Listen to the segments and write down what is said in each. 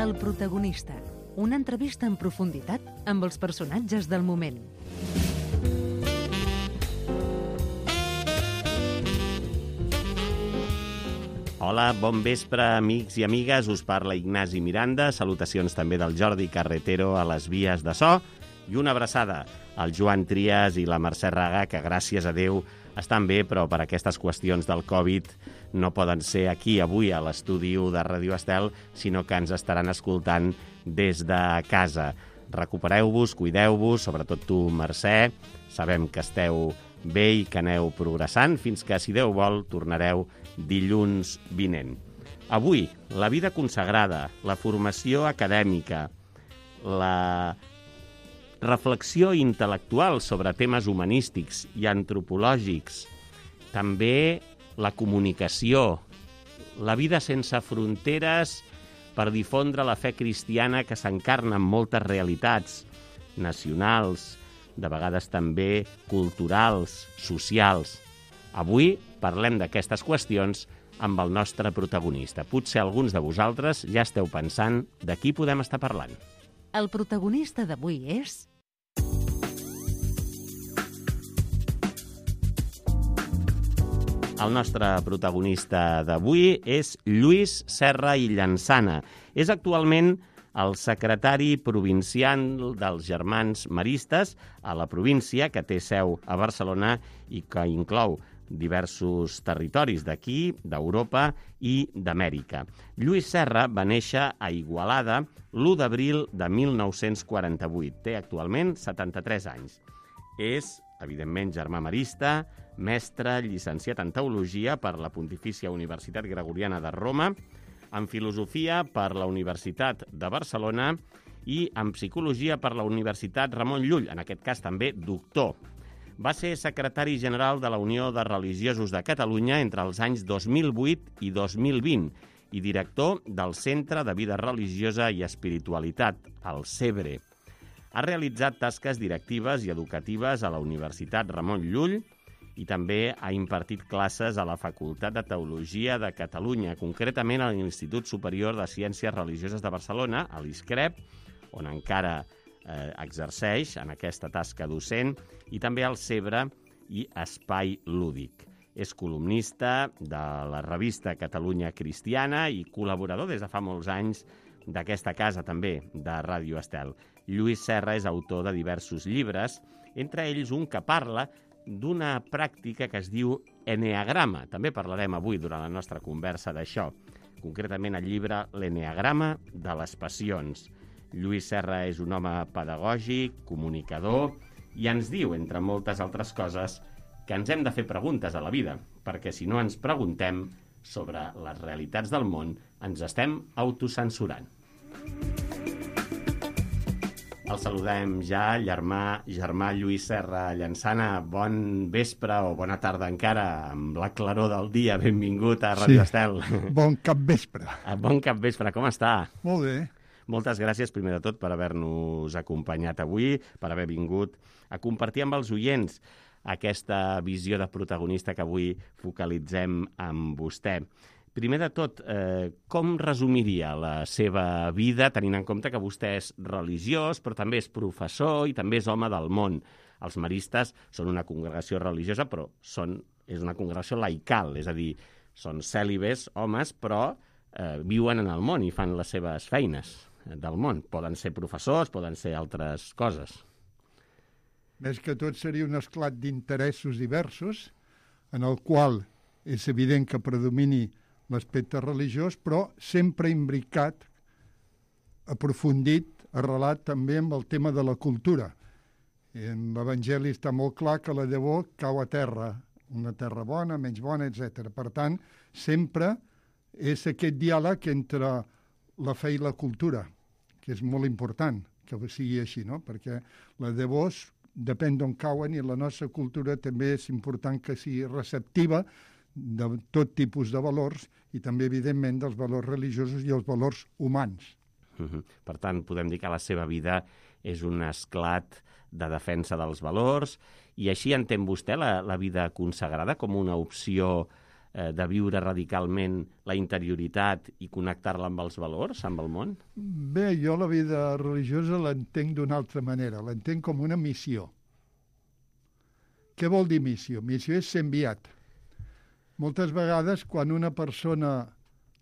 El protagonista, una entrevista en profunditat amb els personatges del moment. Hola, bon vespre, amics i amigues. Us parla Ignasi Miranda. Salutacions també del Jordi Carretero a les vies de so. I una abraçada al Joan Trias i la Mercè Raga, que gràcies a Déu estan bé, però per aquestes qüestions del Covid no poden ser aquí avui a l'estudi de Ràdio Estel, sinó que ens estaran escoltant des de casa. Recupereu-vos, cuideu-vos, sobretot tu, Mercè. Sabem que esteu bé i que aneu progressant fins que, si Déu vol, tornareu dilluns vinent. Avui, la vida consagrada, la formació acadèmica, la reflexió intel·lectual sobre temes humanístics i antropològics, també la comunicació, la vida sense fronteres per difondre la fe cristiana que s'encarna en moltes realitats nacionals, de vegades també culturals, socials. Avui parlem d'aquestes qüestions amb el nostre protagonista. Potser alguns de vosaltres ja esteu pensant de qui podem estar parlant. El protagonista d'avui és... El nostre protagonista d'avui és Lluís Serra i Llansana. És actualment el secretari provincial dels Germans Maristes a la província, que té seu a Barcelona i que inclou diversos territoris d'aquí, d'Europa i d'Amèrica. Lluís Serra va néixer a Igualada l'1 d'abril de 1948. Té actualment 73 anys. És, evidentment, germà marista, mestre, llicenciat en Teologia per la Pontifícia Universitat Gregoriana de Roma, en Filosofia per la Universitat de Barcelona i en Psicologia per la Universitat Ramon Llull, en aquest cas també doctor. Va ser secretari general de la Unió de Religiosos de Catalunya entre els anys 2008 i 2020 i director del Centre de Vida Religiosa i Espiritualitat, el CEBRE. Ha realitzat tasques directives i educatives a la Universitat Ramon Llull i també ha impartit classes a la Facultat de Teologia de Catalunya, concretament a l'Institut Superior de Ciències Religioses de Barcelona, a l'ISCREP, on encara exerceix en aquesta tasca docent, i també al CEBRE i Espai Lúdic. És columnista de la revista Catalunya Cristiana i col·laborador des de fa molts anys d'aquesta casa també, de Ràdio Estel. Lluís Serra és autor de diversos llibres, entre ells un que parla d'una pràctica que es diu eneagrama. També parlarem avui durant la nostra conversa d'això, concretament el llibre L'Eneagrama de les Passions. Lluís Serra és un home pedagògic, comunicador, i ens diu, entre moltes altres coses, que ens hem de fer preguntes a la vida, perquè si no ens preguntem sobre les realitats del món, ens estem autocensurant. El saludem ja, germà Lluís Serra Llansana. Bon vespre o bona tarda encara, amb la claror del dia. Benvingut a Ràdio Estel. Bon capvespre. Bon capvespre, com està? Molt bé. Moltes gràcies, primer de tot, per haver-nos acompanyat avui, per haver vingut a compartir amb els oients aquesta visió de protagonista que avui focalitzem amb vostè. Primer de tot, com resumiria la seva vida, tenint en compte que vostè és religiós, però també és professor i també és home del món? Els maristes són una congregació religiosa, però és una congregació laical, és a dir, són cèlibes, homes, però viuen en el món i fan les seves feines del món. Poden ser professors, poden ser altres coses. Més que tot seria un esclat d'interessos diversos, en el qual és evident que predomini l'aspecte religiós, però sempre imbricat, aprofundit, arrelat també amb el tema de la cultura. En l'Evangeli està molt clar que la llavor cau a terra, una terra bona, menys bona, etc. Per tant, sempre és aquest diàleg entre la fe i la cultura, que és molt important que sigui així, no? Perquè la llavor depèn d'on cauen i la nostra cultura també és important que sigui receptiva de tot tipus de valors i també, evidentment, dels valors religiosos i els valors humans. Per tant, podem dir que la seva vida és un esclat de defensa dels valors i així entén vostè la vida consagrada com una opció de viure radicalment la interioritat i connectar-la amb els valors, amb el món? Bé, jo la vida religiosa l'entenc d'una altra manera, l'entenc com una missió. Què vol dir missió? Missió és ser enviat. Moltes vegades, quan una persona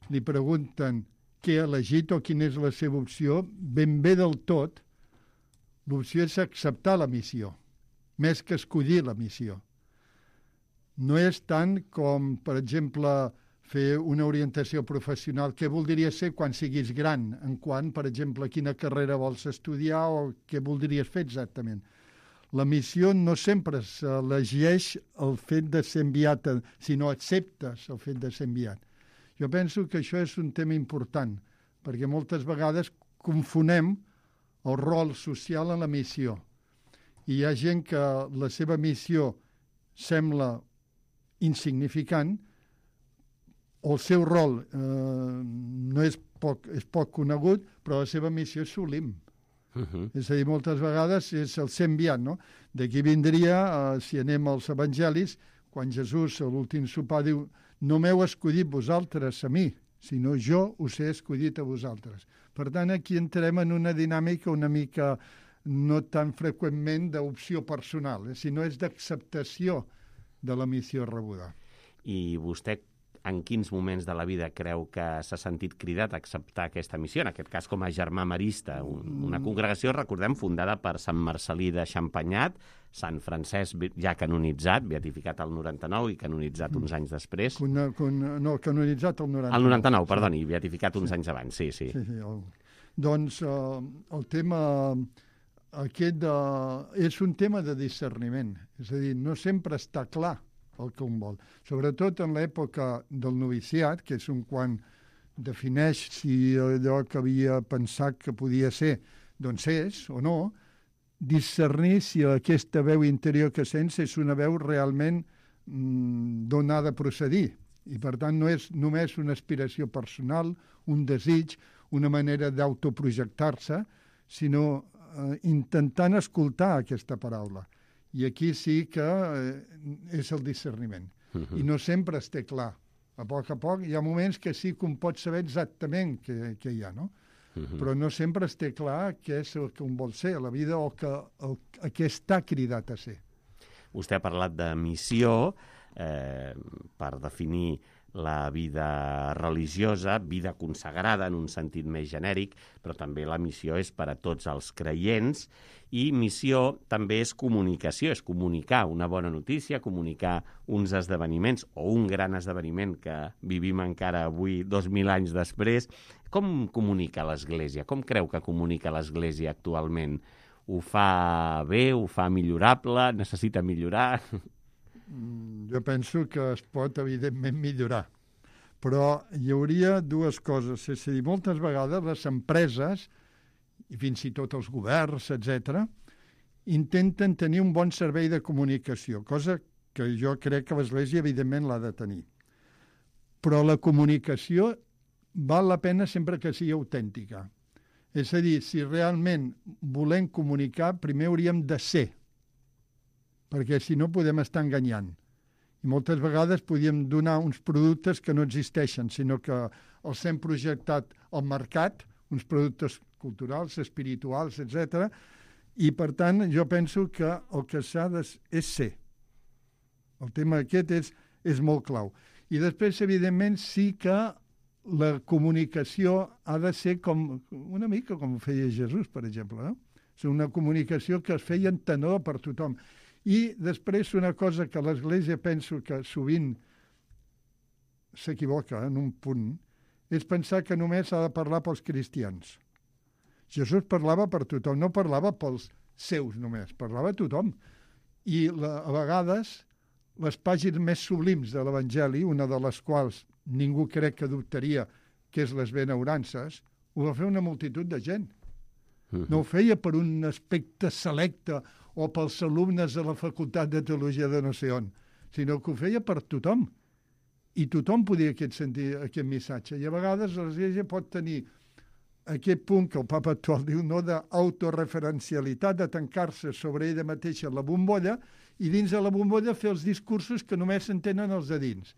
li pregunten què ha elegit o quina és la seva opció, ben bé del tot, l'opció és acceptar la missió, més que escollir la missió. No és tant com, per exemple, fer una orientació professional. Què voldries ser quan siguis gran? En quant, per exemple, quina carrera vols estudiar o què voldries fer exactament? La missió no sempre s'elegeix el fet de ser enviat, sinó acceptes el fet de ser enviat. Jo penso que això és un tema important, perquè moltes vegades confonem el rol social en la missió. I hi ha gent que la seva missió sembla insignificant, o el seu rol no és poc conegut, però la seva missió és sublim. És a dir, moltes vegades és el ser enviat, no? D'aquí vindria, si anem als evangelis, quan Jesús a l'últim sopar diu: no m'heu escollit vosaltres a mi, sinó jo us he escollit a vosaltres. Per tant, aquí entrem en una dinàmica una mica no tan freqüentment d'opció personal, sinó és d'acceptació de la missió rebuda. I vostè en quins moments de la vida creu que s'ha sentit cridat a acceptar aquesta missió? En aquest cas, com a germà marista, una congregació, recordem, fundada per Sant Marcel·lí de Champagnat, Sant Francesc ja canonitzat, beatificat al 99 i canonitzat uns anys després. No, canonitzat al 99. Al 99, perdoni, beatificat uns anys abans, sí. Doncs el tema aquest és un tema de discerniment. És a dir, no sempre està clar el que un vol. Sobretot en l'època del noviciat, que és quan defineix si allò que havia pensat que podia ser, doncs és o no, discernir si aquesta veu interior que sents és una veu realment d'on ha de procedir. I per tant no és només una aspiració personal, un desig, una manera d'autoprojectar-se, sinó intentant escoltar aquesta paraula. I aquí sí que és el discerniment. I no sempre es té clar. A poc hi ha moments que sí que un pot saber exactament què hi ha, no? Però no sempre es té clar què és el que un vol ser a la vida o a què està cridat a ser. Vostè ha parlat de missió per definir la vida religiosa, vida consagrada en un sentit més genèric, però també la missió és per a tots els creients, i missió també és comunicació, és comunicar una bona notícia, comunicar uns esdeveniments o un gran esdeveniment que vivim encara avui, 2000 anys després. Com comunica l'Església? Com creu que comunica l'Església actualment? Ho fa bé? Ho fa millorable? Necessita millorar? Jo penso que es pot, evidentment, millorar. Però hi hauria dues coses. És a dir, moltes vegades les empreses, i fins i tot els governs, etc., intenten tenir un bon servei de comunicació, cosa que jo crec que l'Església, evidentment, l'ha de tenir. Però la comunicació val la pena sempre que sigui autèntica. És a dir, si realment volem comunicar, primer hauríem de ser, perquè si no podem estar enganyant. I moltes vegades podíem donar uns productes que no existeixen, sinó que els hem projectat al mercat, uns productes culturals, espirituals, etc. I, per tant, jo penso que el que s'ha és ser. El tema aquest és molt clau. I després, evidentment, sí que la comunicació ha de ser una mica com feia Jesús, per exemple, no? És una comunicació que es feia entenedor per tothom. I després una cosa que l'Església penso que sovint s'equivoca en un punt, és pensar que només ha de parlar pels cristians. Jesús parlava per tothom, no parlava pels seus només, parlava a tothom. I a vegades les pàgines més sublims de l'Evangeli, una de les quals ningú crec que dubtaria, que és les benaurances, ho va fer una multitud de gent. No ho feia per un aspecte selecte o pels alumnes de la Facultat de Teologia de no sé on, sinó que ho feia per tothom. I tothom podia sentir aquest missatge. I a vegades l'Església pot tenir aquest punt que el Papa actual diu, no, d'autoreferencialitat, de tancar-se sobre ella mateixa la bombolla i dins de la bombolla fer els discursos que només s'entenen els de dins.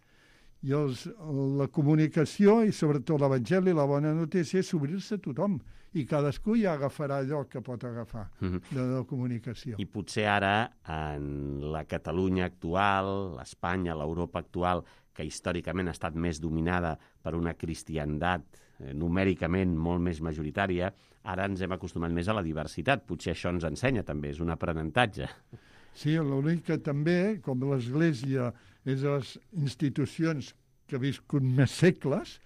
I la comunicació i sobretot l'Evangeli, la bona notícia, és obrir-se a tothom. I cadascú ja agafarà allò que pot agafar de la comunicació. I potser ara, en la Catalunya actual, l'Espanya, l'Europa actual, que històricament ha estat més dominada per una cristiandat numèricament molt més majoritària, ara ens hem acostumat més a la diversitat. Potser això ens ensenya també, és un aprenentatge. Sí, l'únic que també, com l'Església és de les institucions que ha viscut més segles,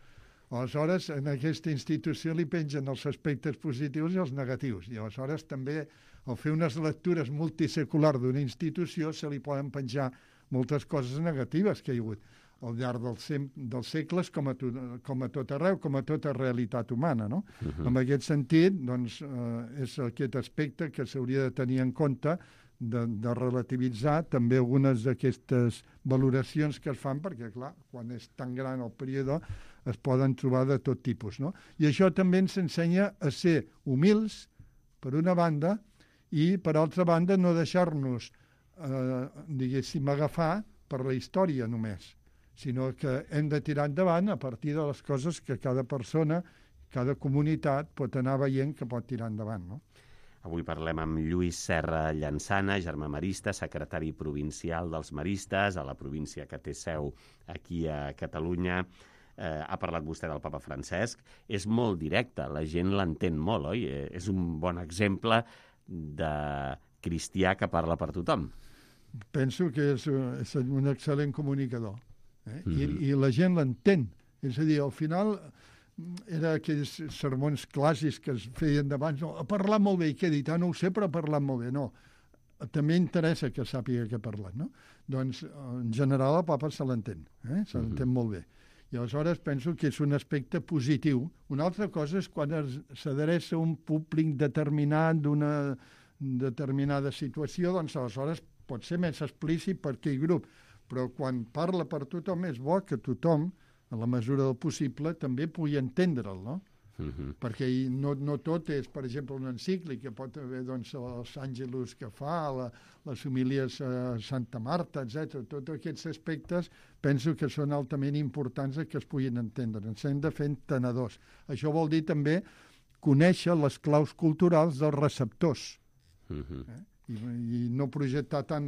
aleshores en aquesta institució li pengen els aspectes positius i els negatius. I aleshores també, al fer unes lectures multiseculars d'una institució, se li poden penjar moltes coses negatives que hi ha hagut al llarg dels segles, com a tot arreu, com a tota realitat humana, no? En aquest sentit, doncs, és aquest aspecte que s'hauria de tenir en compte de relativitzar també algunes d'aquestes valoracions que es fan, perquè, clar, quan és tan gran el període es poden trobar de tot tipus, no? I això també ens ensenya a ser humils, per una banda, i, per altra banda, no deixar-nos, diguéssim, agafar per la història només, sinó que hem de tirar endavant a partir de les coses que cada persona, cada comunitat pot anar veient que pot tirar endavant, no? Avui parlem amb Lluís Serra Llansana, germà marista, secretari provincial dels maristes, a la província que té seu aquí a Catalunya. Ha parlat vostè del papa Francesc. És molt directe, la gent l'entén molt, oi? És un bon exemple de cristià que parla per tothom. Penso que és un excel·lent comunicador. I la gent l'entén. És a dir, al final era aquells sermons clàssics que es feien d'abans, no, ha parlat molt bé, i què he dit? No ho sé, però ha parlat molt bé. No, també interessa que sàpiga què ha parlat, no? Doncs, en general, el papa se l'entén, se l'entén molt bé. I aleshores penso que és un aspecte positiu. Una altra cosa és quan s'adreça a un públic determinat d'una determinada situació, doncs aleshores pot ser més explícit per aquell grup, però quan parla per tothom és bo que tothom, en la mesura del possible, també pugui entendre'l, no? Perquè no tot és, per exemple, una encíclica, pot haver doncs, els àngelus que fa, les homilies a Santa Marta, etc. Tots aquests aspectes penso que són altament importants que es puguin entendre. Ens hem de fer entenedors. Això vol dir també conèixer les claus culturals dels receptors. I no projectar tant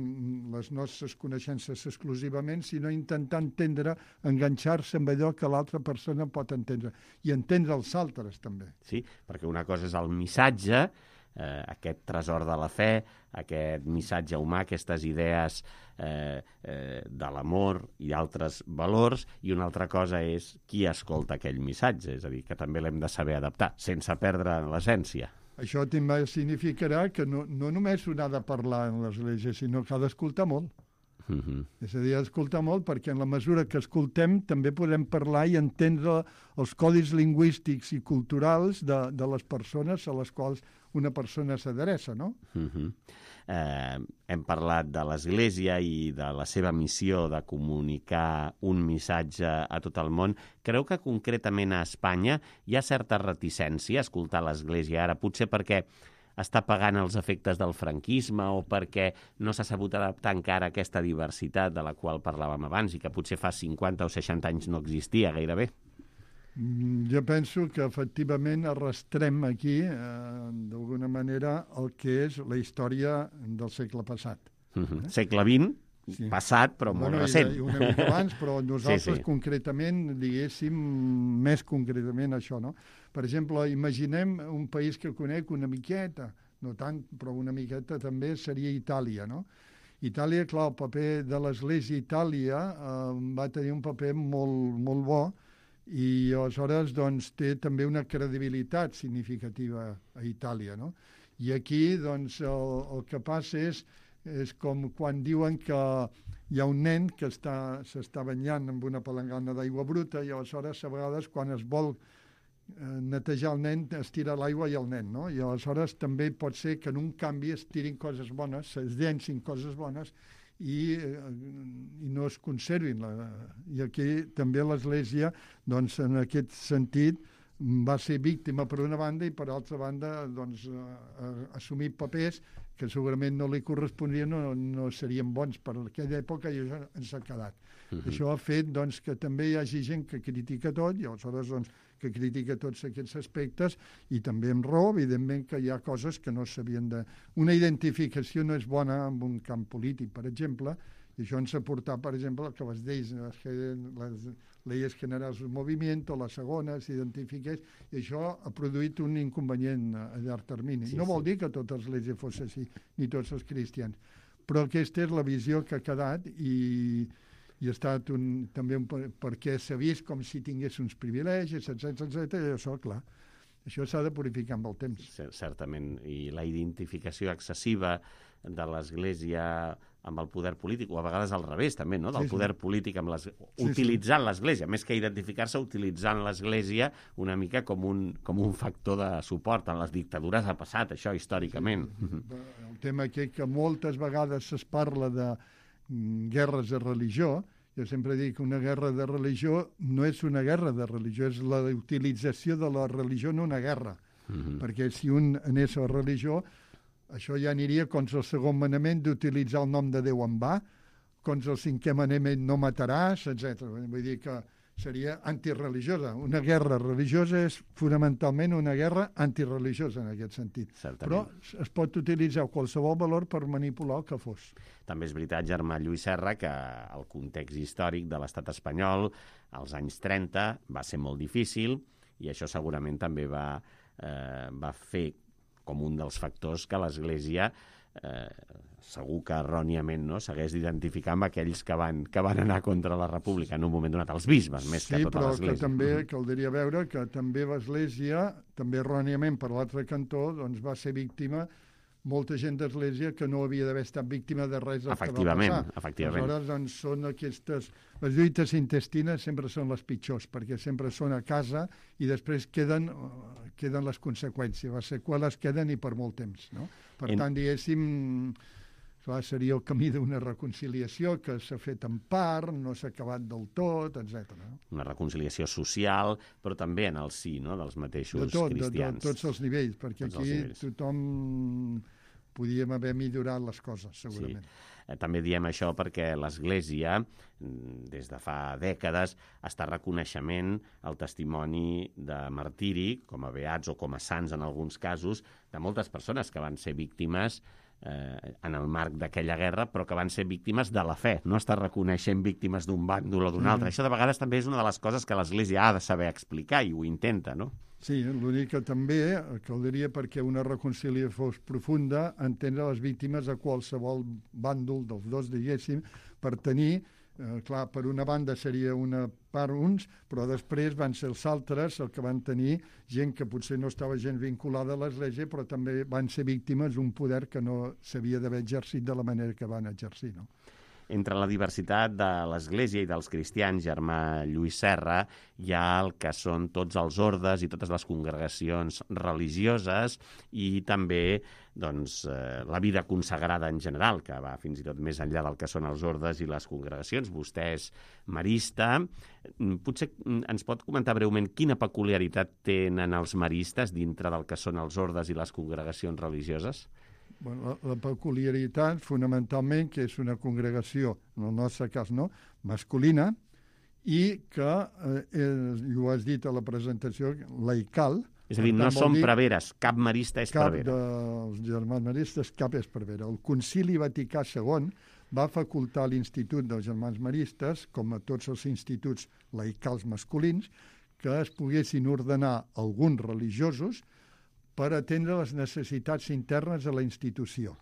les nostres coneixences exclusivament, sinó intentar entendre, enganxar-se amb allò que l'altra persona pot entendre, i entendre els altres també. Sí, perquè una cosa és el missatge, aquest tresor de la fe, aquest missatge humà, aquestes idees de l'amor i altres valors, i una altra cosa és qui escolta aquell missatge, és a dir, que també l'hem de saber adaptar, sense perdre l'essència. Això també significarà que no només un ha de parlar en l'Església, sinó que ha d'escoltar molt. És a dir, ha d'escoltar molt perquè en la mesura que escoltem també podem parlar i entendre els codis lingüístics i culturals de les persones a les quals una persona s'adreça, no? Hem parlat de l'Església i de la seva missió de comunicar un missatge a tot el món. Creu que concretament a Espanya hi ha certa reticència a escoltar l'Església ara, potser perquè està pagant els efectes del franquisme o perquè no s'ha sabut adaptar encara a aquesta diversitat de la qual parlàvem abans i que potser fa 50 o 60 anys no existia gairebé? Jo penso que efectivament arrastrem aquí, d'alguna manera, el que és la història del segle passat. Segle XX, sí. Passat, però molt recent. Una mica abans, però nosaltres concretament, diguéssim, més concretament això, no? Per exemple, imaginem un país que conec una miqueta, no tant, però una miqueta també seria Itàlia, no? Itàlia, clar, el paper de l'Església a Itàlia va tenir un paper molt, molt bo, i aleshores doncs, té també una credibilitat significativa a Itàlia, no? I aquí doncs, el que passa és com quan diuen que hi ha un nen que s'està banyant amb una palangana d'aigua bruta i aleshores a vegades quan es vol netejar el nen es tira l'aigua i el nen, no? I aleshores també pot ser que en un canvi es tirin coses bones, es llencin coses bones i no es conservin. I aquí també l'Església, doncs, en aquest sentit, va ser víctima per una banda i per altra banda doncs, assumir papers que segurament no li correspondrien, no serien bons per aquella època, i això ens ha quedat. Això ha fet doncs, que també hi hagi gent que critica tot, i aleshores doncs, que critica tots aquests aspectes, i també amb raó, evidentment, que hi ha coses que no s'havien de... Una identificació no és bona en un camp polític, per exemple, i això ens ha portat, per exemple, que les lleis generals del moviment, o la segona, s'identifiqués, i això ha produït un inconvenient a llarg termini. No vol dir que totes les lleis fos així, ni tots els cristians, però aquesta és la visió que ha quedat, i ha estat també perquè s'ha vist com si tingués uns privilegis, etc. I això, clar, això s'ha de purificar amb el temps. Certament, i la identificació excessiva de l'Església amb el poder polític, o a vegades al revés també, no? Del poder polític amb utilitzant l'Església, més que identificar-se, utilitzant l'Església una mica com un factor de suport. En les dictadures ha passat això històricament. El tema que moltes vegades es parla de guerres de religió, jo sempre dic que una guerra de religió no és una guerra de religió, és la utilització de la religió en una guerra, perquè si un anés a la religió, això ja aniria contra el segon manament d'utilitzar el nom de Déu en va, contra el cinquè manament no mataràs, etc. Vull dir que seria antireligiosa. Una guerra religiosa és fonamentalment una guerra antireligiosa en aquest sentit. Certament. Però es pot utilitzar qualsevol valor per manipular el que fos. També és veritat, Germà Lluís Serra, que el context històric de l'estat espanyol als anys 30 va ser molt difícil, i això segurament també va fer com un dels factors que l'Església segur que erròniament s'hagués d'identificar amb aquells que van anar contra la República en un moment donat, els bisbes, més que tota l'Església. Sí, però que també caldria veure que també l'Església, també erròniament per l'altre cantó, doncs va ser víctima molta gent d'Església que no havia d'haver estat víctima de res del que va passar. Efectivament. Aleshores, doncs, són aquestes... Les lluites intestines sempre són les pitjors, perquè sempre són a casa i després queden les conseqüències. Les seqüeles queden i per molt temps, no? Per tant, diguéssim, seria el camí d'una reconciliació que s'ha fet en part, no s'ha acabat del tot, etc. Una reconciliació social, però també en el si, no?, dels mateixos cristians. De tots els nivells, perquè aquí tothom podíem haver millorat les coses, segurament. Sí. També diem això perquè l'Església, des de fa dècades, està reconeixement el testimoni de martiri, com a beats o com a sants en alguns casos, de moltes persones que van ser víctimes en el marc d'aquella guerra, però que van ser víctimes de la fe. No està reconeixent víctimes d'un bàndol o d'un altre. Això de vegades també és una de les coses que l'Església ha de saber explicar, i ho intenta, no? Sí, l'únic que també caldria, perquè una reconciliació fos profunda, entendre les víctimes a qualsevol bàndol dels dos, diguéssim, per tenir, clar, per una banda seria una part uns, però després van ser els altres el que van tenir gent que potser no estava gens vinculada a l'Església, però també van ser víctimes d'un poder que no s'havia d'haver exercit de la manera que van exercir, no? Entre la diversitat de l'Església i dels cristians, Germà Lluís Serra, hi ha el que són tots els ordes i totes les congregacions religioses, i també doncs, la vida consagrada en general, que va fins i tot més enllà del que són els ordes i les congregacions. Vostè és marista. Potser ens pot comentar breument quina peculiaritat tenen els maristes dintre del que són els ordes i les congregacions religioses? Bueno, la peculiaritat, fonamentalment, que és una congregació, en el nostre cas, no, masculina, i que, ho has dit a la presentació, laical. És a dir, no són preveres, cap marista és prevera. Cap dels germans maristes, cap és prevera. El Concili Vaticà II va facultar a l'Institut dels Germans Maristes, com a tots els instituts laicals masculins, que es poguessin ordenar alguns religiosos per atendre les necessitats internes de la institució.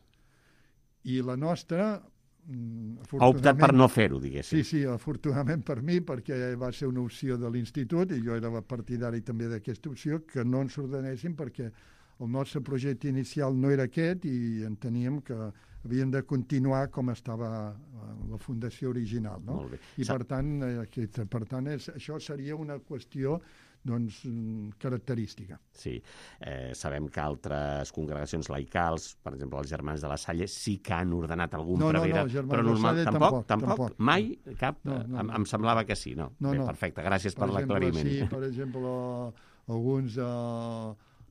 I la nostra... Ha optat per no fer-ho, diguéssim. Sí, afortunadament per mi, perquè va ser una opció de l'institut, i jo era partidari també d'aquesta opció, que no ens ordenéssim, perquè el nostre projecte inicial no era aquest, i enteníem que havien de continuar com estava la fundació original, no? Molt bé. I per tant això seria una qüestió característica. Sí. Sabem que altres congregacions laicals, per exemple, els Germans de la Salle, sí que han ordenat algun prevere. No, Germans de la Salle tampoc. Mai? Cap? No. Em semblava que sí, no? Bé, perfecte, gràcies per l'aclariment. Sí, per exemple, alguns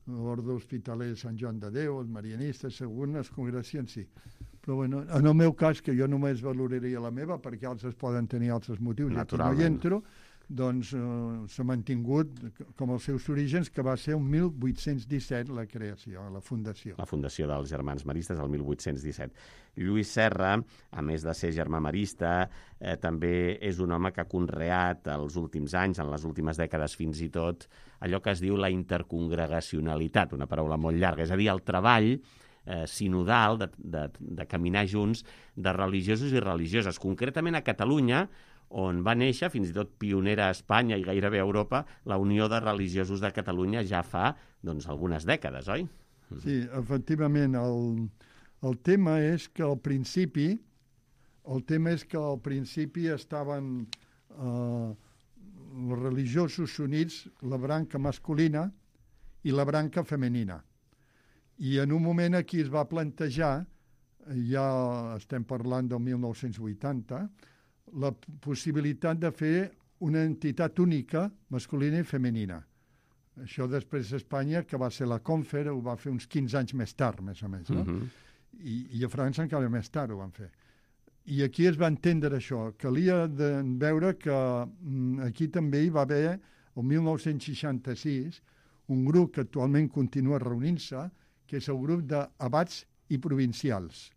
l'Orde Hospitaler de Sant Joan de Déu, els marianistes, algunes congregacions sí. Però bueno, en el meu cas, que jo només valoraria la meva, perquè altres poden tenir altres motius, i aquí no hi entro, doncs s'ha mantingut com els seus orígens, que va ser el 1817 la creació, la fundació. La fundació dels Germans Maristes, el 1817. Lluís Serra, a més de ser germà marista, també és un home que ha conreat els últims anys, en les últimes dècades fins i tot, allò que es diu la intercongregacionalitat, una paraula molt llarga, és a dir, el treball sinodal de caminar junts de religiosos i religioses. Concretament a Catalunya, on va néixer, fins i tot pionera a Espanya i gairebé a Europa, la Unió de Religiosos de Catalunya ja fa algunes dècades, oi? Sí, efectivament. El tema és que al principi estaven els religiosos units, la branca masculina i la branca femenina. I en un moment aquí es va plantejar, ja estem parlant del 1980, la possibilitat de fer una entitat única, masculina i femenina. Això després a Espanya, que va ser la Confer, ho va fer uns 15 anys més tard, més o menys, no? I a França encara més tard ho van fer. I aquí es va entendre això. Calia veure que aquí també hi va haver, el 1966, un grup que actualment continua reunint-se, que és el grup d'abats i provincials.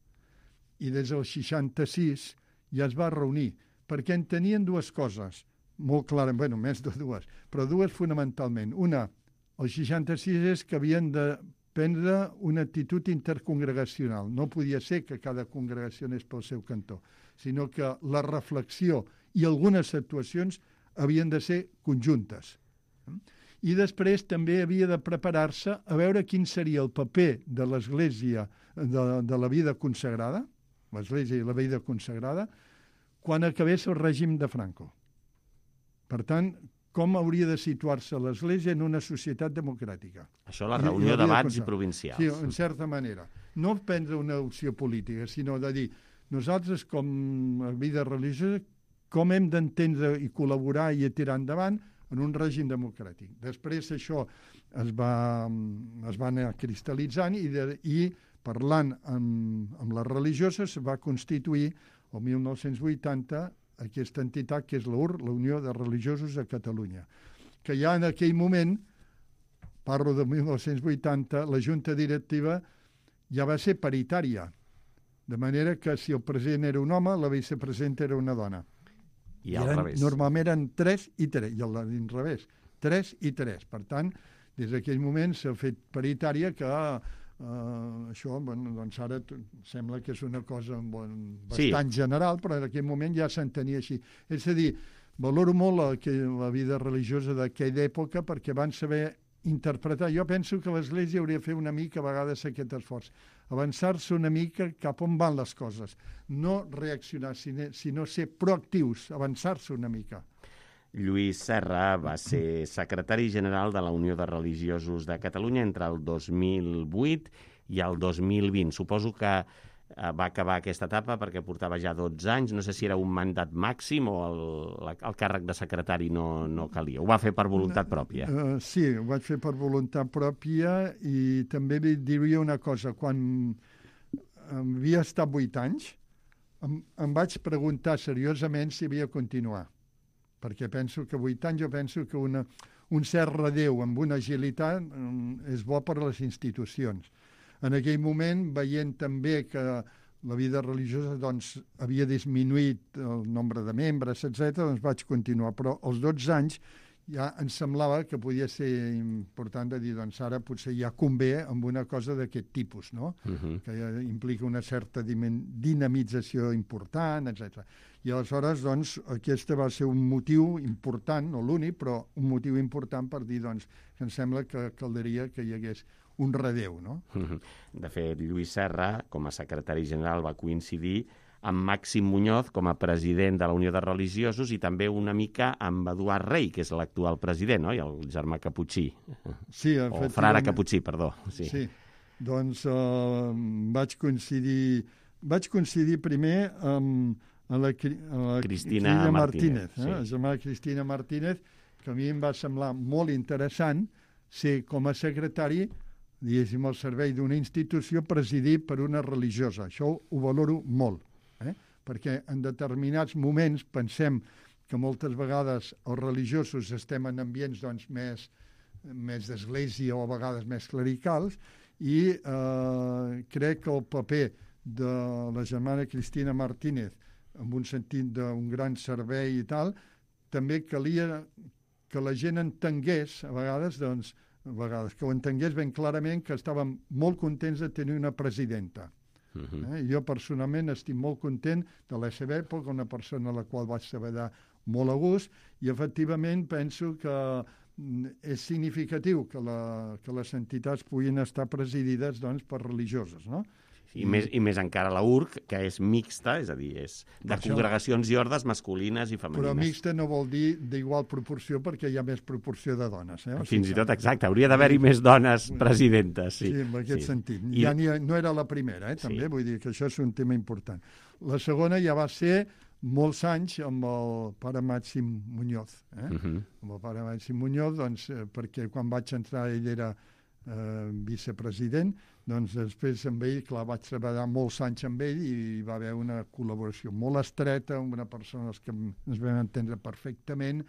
I des del 66 ja es va reunir, perquè entenien dues coses, molt clares, bueno, més de dues, però dues fonamentalment. Una, el 66 és que havien de prendre una actitud intercongregacional. No podia ser que cada congregació anés pel seu cantó, sinó que la reflexió i algunes actuacions havien de ser conjuntes. I després també havia de preparar-se a veure quin seria el paper de l'Església de la vida consagrada, l'Església i la vida consagrada, quan acabés el règim de Franco. Per tant, com hauria de situar-se l'Església en una societat democràtica. Això la reunió d'abats i provincials. Sí, en certa manera. No prendre una opció política, sinó de dir, nosaltres com a vida religiosa, com hem d'entendre i col·laborar i tirar endavant en un règim democràtic. Després això es va anar cristal·litzant i parlant amb les religioses es va constituir el 1980 aquesta entitat que és l'UR, la Unió de Religiosos de Catalunya, que ja en aquell moment, parlo de 1980, la Junta Directiva ja va ser paritària, de manera que si el president era un home, la vicepresidenta era una dona. I al revés. Normalment eren 3 i 3, i al revés, 3 i 3. Per tant, des d'aquell moment s'ha fet paritària que això, doncs ara sembla que és una cosa bastant general, però en aquell moment ja s'entenia així. És a dir, valoro molt la vida religiosa d'aquella època perquè van saber interpretar. Jo penso que l'Església hauria de fer una mica a vegades aquest esforç, avançar-se una mica cap on van les coses, no reaccionar, sinó ser proactius, avançar-se una mica. Lluís Serra va ser secretari general de la Unió de Religiosos de Catalunya entre el 2008 i el 2020. Suposo que va acabar aquesta etapa perquè portava ja 12 anys. No sé si era un mandat màxim o el càrrec de secretari no calia. Ho va fer per voluntat pròpia. Sí, ho vaig fer per voluntat pròpia i també diria una cosa. Quan havia estat 8 anys, em vaig preguntar seriosament si havia de continuar. Perquè penso que 8 anys, jo penso que un cert redeu amb una agilitat és bo per a les institucions. En aquell moment, veient també que la vida religiosa doncs, havia disminuït el nombre de membres, etc., doncs vaig continuar. Però als 12 anys ja em semblava que podia ser important de dir, doncs ara potser ja convé amb una cosa d'aquest tipus, no? Que implica una certa dinamització important, etc. I aleshores, doncs, aquest va ser un motiu important, no l'únic, però un motiu important per dir, doncs, que em sembla que caldria que hi hagués un redeu, no? De fet, Lluís Serra, com a secretari general, va coincidir amb Màxim Muñoz com a president de la Unió de Religiosos i també una mica amb Eduard Rey, que és l'actual president, oi? El germà caputxí. Sí, o frare caputxí, perdó. Sí. Doncs vaig coincidir primer amb la Cristina Martínez. La germana Cristina Martínez, que a mi em va semblar molt interessant ser com a secretari, diguéssim, al servei d'una institució presidit per una religiosa. Això ho valoro molt, perquè en determinats moments pensem que moltes vegades els religiosos estem en ambients doncs, més d'església o a vegades més clericals, i crec que el paper de la germana Cristina Martínez, en un sentit d'un gran servei i tal, també calia que la gent entengués, a vegades, que ho entengués ben clarament, que estàvem molt contents de tenir una presidenta. Jo personalment estic molt content de la seva època, una persona a la qual vaig treballar molt a gust, i efectivament penso que és significatiu que les entitats puguin estar presidides doncs, per religioses, no? I més encara la URC, que és mixta, és a dir, és de congregacions i ordes masculines i femenines. Però mixta no vol dir d'igual proporció, perquè hi ha més proporció de dones. Fins i tot, exacte, hauria d'haver-hi més dones presidentes. Sí, en aquest sentit. Ja no era la primera, també, vull dir que això és un tema important. La segona ja va ser molts anys amb el pare Màxim Muñoz. Amb el pare Màxim Muñoz, doncs, perquè quan vaig entrar ell era vicepresident, doncs després amb ell, clar, vaig treballar molts anys amb ell i hi va haver una col·laboració molt estreta, amb una persona que ens vam entendre perfectament,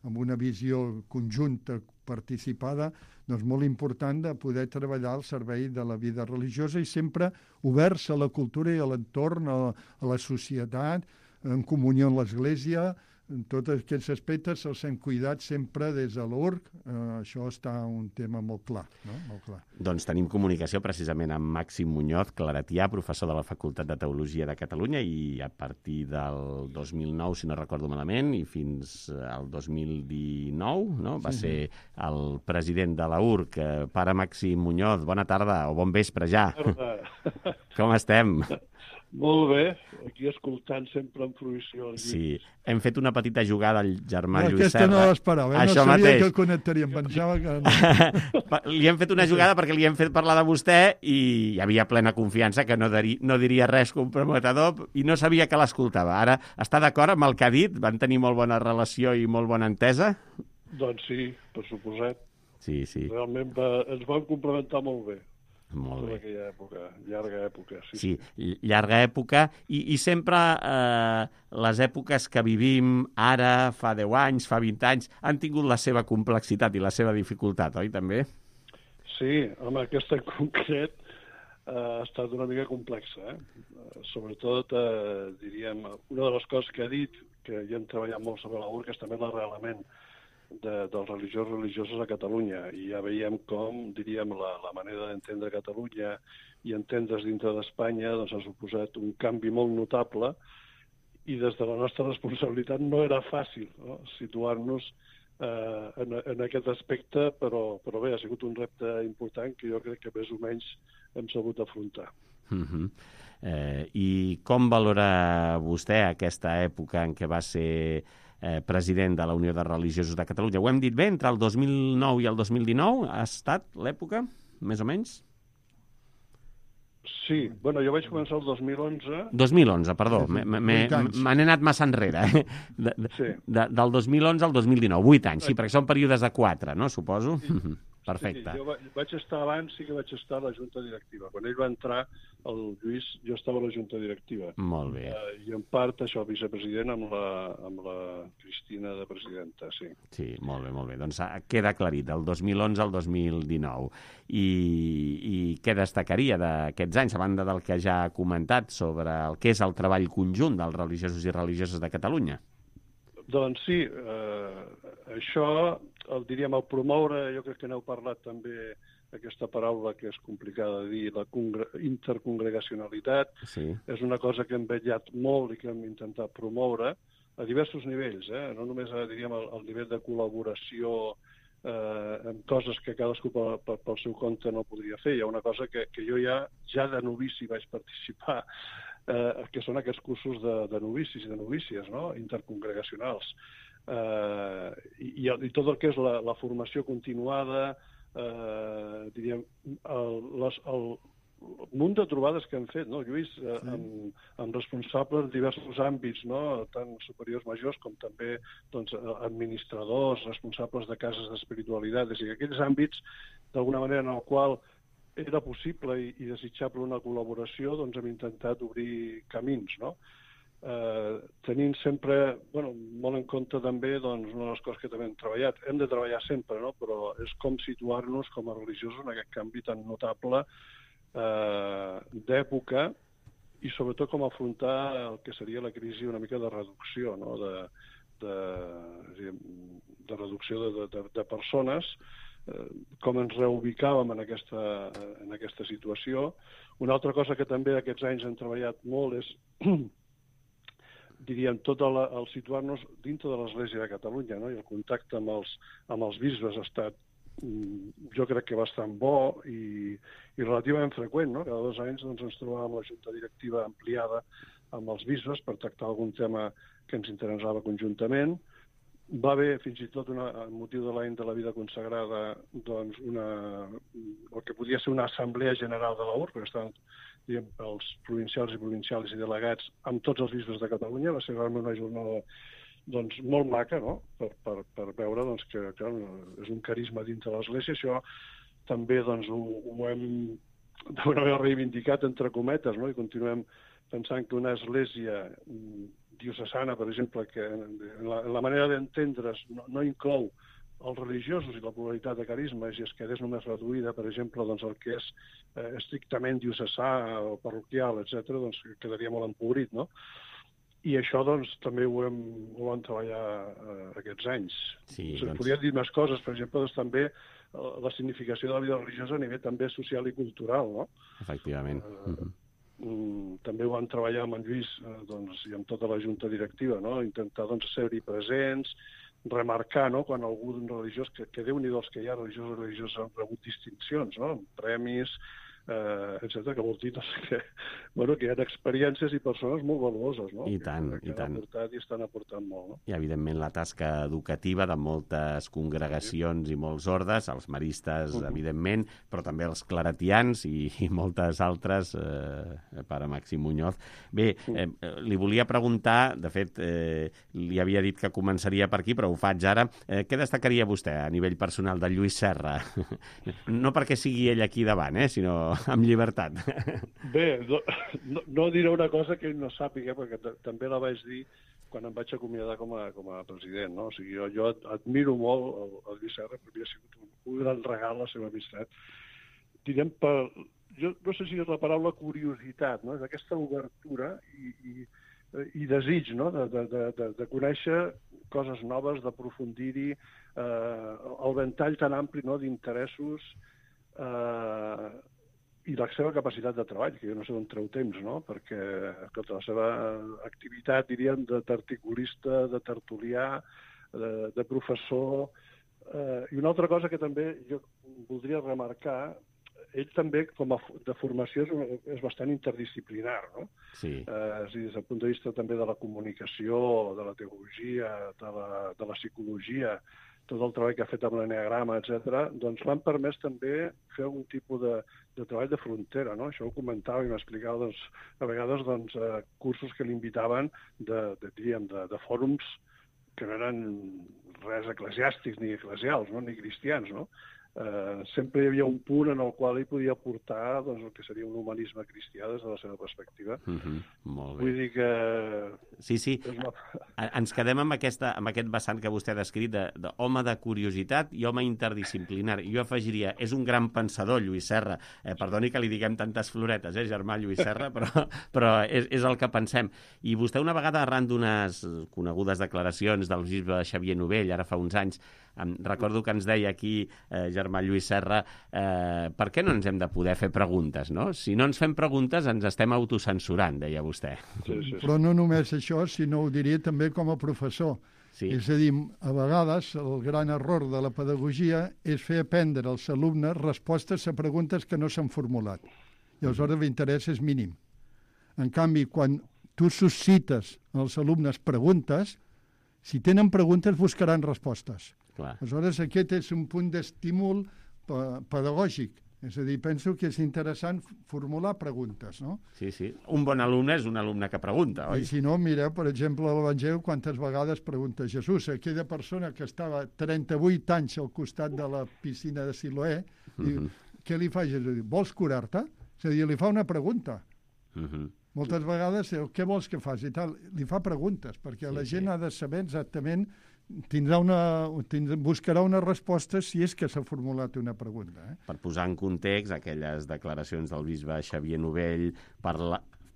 amb una visió conjunta, participada, doncs molt important de poder treballar al servei de la vida religiosa i sempre oberts a la cultura i a l'entorn, a la societat, en comunió amb l'Església. En tots aquests aspectes els hem cuidat sempre des de l'URC. Això està un tema molt clar, no? Molt clar. Doncs tenim comunicació precisament amb Màxim Muñoz, claretià, professor de la Facultat de Teologia de Catalunya, i a partir del 2009, si no recordo malament, i fins al 2019, no? Va ser el president de la URC. Pare Màxim Muñoz, bona tarda o bon vespre ja. Com estem? Molt bé, aquí escoltant sempre amb fruïció. Sí, hem fet una petita jugada al germà Lluís Serra. Aquesta no l'esperava, no sabia que el connectaríem, pensava que no. Li hem fet una jugada perquè li hem fet parlar de vostè i hi havia plena confiança que no diria res comprometedor i no sabia que l'escoltava. Ara està d'acord amb el que ha dit? Van tenir molt bona relació i molt bona entesa? Doncs sí, per suposat. Sí. Realment ens vam complementar molt bé. Molt bé. En aquella època, llarga època. Sí, llarga època i sempre les èpoques que vivim ara, fa 10 anys, fa 20 anys, han tingut la seva complexitat i la seva dificultat, oi, també? Sí, home, aquesta en concret ha estat una mica complexa. Sobretot, diríem, una de les coses que ha dit, que ja hem treballat molt sobre la URC, és també l'arrelament dels religioses a Catalunya, i ja veiem com, diríem, la manera d'entendre Catalunya i entendre's dintre d'Espanya doncs ha suposat un canvi molt notable, i des de la nostra responsabilitat no era fàcil, no? Situar-nos en aquest aspecte, però bé, ha sigut un repte important que jo crec que més o menys hem sabut afrontar. I com valora vostè aquesta època en què va ser president de la Unió de Religiosos de Catalunya? Ho hem dit bé, entre el 2009 i el 2019 ha estat l'època, més o menys? Sí, bueno, jo vaig començar el 2011. 2011, perdó, me n'he anat massa enrere. Del 2011 al 2019, 8 anys, sí, perquè són períodes de 4, no, suposo? Perfecte. Sí, jo vaig estar abans, sí que vaig estar a la Junta Directiva. Quan ell va entrar, el Lluís, jo estava a la Junta Directiva. Molt bé. I en part això, vicepresident amb la Cristina de presidenta, sí. Sí, molt bé. Doncs queda aclarit, del 2011 al 2019. I què destacaria d'aquests anys, a banda del que ja ha comentat sobre el que és el treball conjunt dels religiosos i religioses de Catalunya? Doncs sí, això, diríem, el promoure, jo crec que n'heu parlat també, aquesta paraula que és complicada de dir, la intercongregacionalitat, és una cosa que hem vetllat molt i que hem intentat promoure a diversos nivells, no només, diríem, al nivell de col·laboració en coses que cadascú pel seu compte no podria fer. Hi ha una cosa que jo ja de novici vaig participar, que són aquests cursos de novicis i de novícies, no? Intercongregacionals. I tot el que és la formació continuada, diríem, un munt de trobades que hem fet, no, Lluís, amb responsables de diversos àmbits, no, tant superiors majors com també doncs, administradors, responsables de cases d'espiritualitat, és a dir, aquells àmbits, d'alguna manera, en el qual era possible i desitjable una col·laboració, doncs hem intentat obrir camins, no? Tenint sempre, molt en compte també, doncs, una de les coses que també hem treballat, hem de treballar sempre, no? Però és com situar-nos com a religiosos en aquest canvi tan notable d'època i sobretot com afrontar el que seria la crisi una mica de reducció, no? De reducció de persones, com ens reubicàvem en aquesta situació. Una altra cosa que també aquests anys hem treballat molt és diríem, tot el situar-nos dintre de l'Església de Catalunya, no? I el contacte amb els bisbes ha estat, jo crec que bastant bo i relativament freqüent, no? Cada 2 anys doncs, ens trobàvem la junta directiva ampliada amb els bisbes per tractar algun tema que ens interessava conjuntament. Va haver, fins i tot, amb motiu de l'any de la vida consagrada, doncs el que podia ser una assemblea general de la URB, perquè estaven els provincials i delegats amb tots els bisbes de Catalunya. Va ser realment una jornada doncs, molt maca, no? Per veure doncs, que clar, és un carisma dintre de l'Església. Això també doncs, ho hem d'alguna manera reivindicat, entre cometes, no? I continuem pensant que una església diocesana, per exemple, que en la manera d'entendre's no inclou els religiosos i la pluralitat de carismes i es quedés només reduïda, per exemple, doncs, el que és estrictament diocesà o parroquial, etc., doncs quedaria molt empobrit, no? I això doncs, també ho vam treballar aquests anys. Sí, doncs... Podria dir més coses, per exemple, doncs, també la significació de la vida religiosa a nivell també social i cultural, no? Efectivament. També ho vam treballar amb en Lluís doncs, i amb tota la junta directiva, no? Intentar doncs, ser-hi presents, remarcar, no? Quan algú religiós, que Déu-n'hi-do els que hi ha religiosos han rebut distincions, no? Premis, etc., que vol dir que hi ha experiències i persones molt valuoses, no? I tant, i tant. I estan aportant molt, no? I, evidentment, la tasca educativa de moltes congregacions i molts ordes, els maristes, evidentment, però també els claretians i moltes altres, pare Màxim Muñoz. Bé, li volia preguntar, de fet, li havia dit que començaria per aquí, però ho faig ara. Què destacaria vostè a nivell personal de Lluís Serra? No perquè sigui ell aquí davant, sinó amb llibertat. Bé, no diré una cosa que ell no sàpiga, perquè també la vaig dir quan em vaig acomiadar com a president, no? O sigui, jo admiro molt el Lluís Serra, perquè ha sigut un gran regal la seva amistat. Direm jo no sé si és la paraula curiositat, no? És aquesta obertura i desig, no? De conèixer coses noves, d'aprofundir-hi, el ventall tan ampli, no? D'interessos, i la seva capacitat de treball, que jo no sé d'on treu temps, no? Perquè tota la seva activitat, diríem, d'articulista, de tertulià, de professor. I una altra cosa que també jo voldria remarcar, ell també, com de formació, és bastant interdisciplinar, no? Sí. És a dir, des del punt de vista també de la comunicació, de la teologia, de la psicologia, tot el treball que ha fet amb l'enneagrama, etc., doncs l'han permès també fer algun tipus de treball de frontera, no? Això ho comentava i m'explicava, doncs, a vegades, doncs, cursos que l'invitaven de fòrums que no eren res eclesiàstics ni eclesials, no? Ni cristians, no? Sempre hi havia un punt en el qual ell podia aportar doncs, el que seria un humanisme cristià des de la seva perspectiva. Molt bé. Vull dir que... Sí. Ens quedem amb aquest vessant que vostè ha descrit d'home de curiositat i home interdisciplinari. Jo afegiria, és un gran pensador, Lluís Serra. Perdoni que li diguem tantes floretes, germà Lluís Serra, però és el que pensem. I vostè una vegada, arran d'unes conegudes declaracions del bisbe Xavier Novell, ara fa uns anys, recordo que ens deia aquí, germà Lluís Serra, per què no ens hem de poder fer preguntes, no? Si no ens fem preguntes ens estem autocensurant, deia vostè. Sí. Però no només això, sinó ho diria també com a professor. Sí. És a dir, a vegades el gran error de la pedagogia és fer aprendre als alumnes respostes a preguntes que no s'han formulat. I aleshores l'interès és mínim. En canvi, quan tu suscites als alumnes preguntes, si tenen preguntes buscaran respostes. Clar. Aleshores, aquest és un punt d'estímul pedagògic, És a dir, penso que és interessant formular preguntes, no? Sí, sí. Un bon alumne és un alumne que pregunta, oi? I si no, mireu, per exemple, a l'Evangeli, quantes vegades pregunta Jesús. Aquella persona que estava 38 anys al costat de la piscina de Siloé, diu, què li fa Jesús? Diu, vols curar-te? És a dir, li fa una pregunta. Moltes vegades, què vols que faci? I tal, li fa preguntes, perquè la gent ha de saber exactament, buscarà una resposta si és que s'ha formulat una pregunta. Per posar en context, aquelles declaracions del bisbe Xavier Novell